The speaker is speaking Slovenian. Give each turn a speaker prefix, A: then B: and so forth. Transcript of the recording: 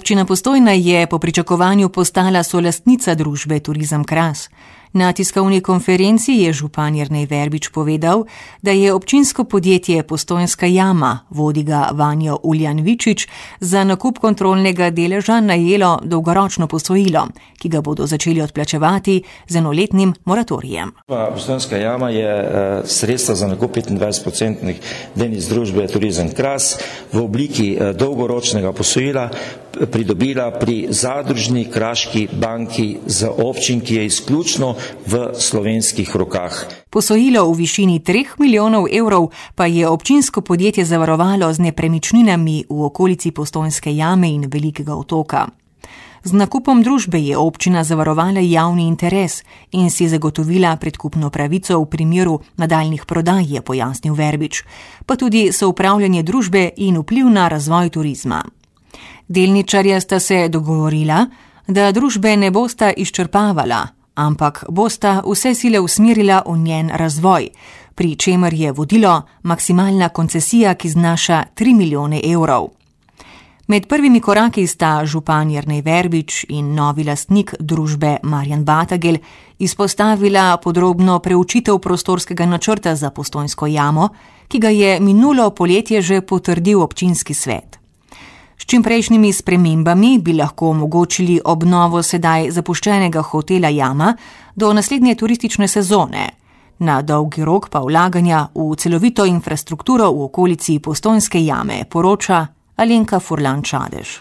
A: Občina Postojna je po pričakovanju postala solastnica družbe Turizem Kras. Na tiskovni konferenci je župan Jernej Verbič povedal, da je občinsko podjetje Postojnska jama, vodi ga Vanjo Uljan-Vičič, za nakup kontrolnega deleža najelo dolgoročno posojilo, ki ga bodo začeli odplačevati z enoletnim moratorijem.
B: Postojnska jama je sredstva za nakup 25% delnic družbe Turizem Kras v obliki dolgoročnega posojila pridobila pri zadružni kraški banki za občin, ki je izključno v slovenskih rokah.
A: Posojilo v višini 3 milijonov evrov pa je občinsko podjetje zavarovalo z nepremičninami v okolici Postojnske jame in Velikega otoka. Z nakupom družbe je občina zavarovala javni interes in si zagotovila predkupno pravico v primeru nadaljnih prodaj, je pojasnil Verbič, pa tudi soupravljanje družbe in vpliv na razvoj turizma. Delničarja sta se dogovorila, da družbe ne bosta izčrpavala, ampak bosta vse sile usmerila v njen razvoj, pri čemer je vodilo maksimalna koncesija, ki znaša 3 milijone evrov. Med prvimi koraki sta župan Jernej Verbič in novi lastnik družbe Marjan Batagel izpostavila podrobno preučitev prostorskega načrta za Postojnsko jamo, ki ga je minulo poletje že potrdil občinski svet. S čimprejšnjimi spremembami bi lahko omogočili obnovo sedaj zapuščenega hotela Jama do naslednje turistične sezone. Na dolgi rok pa vlaganja v celovito infrastrukturo v okolici Postojnske jame, poroča Alenka Furlan Čadež.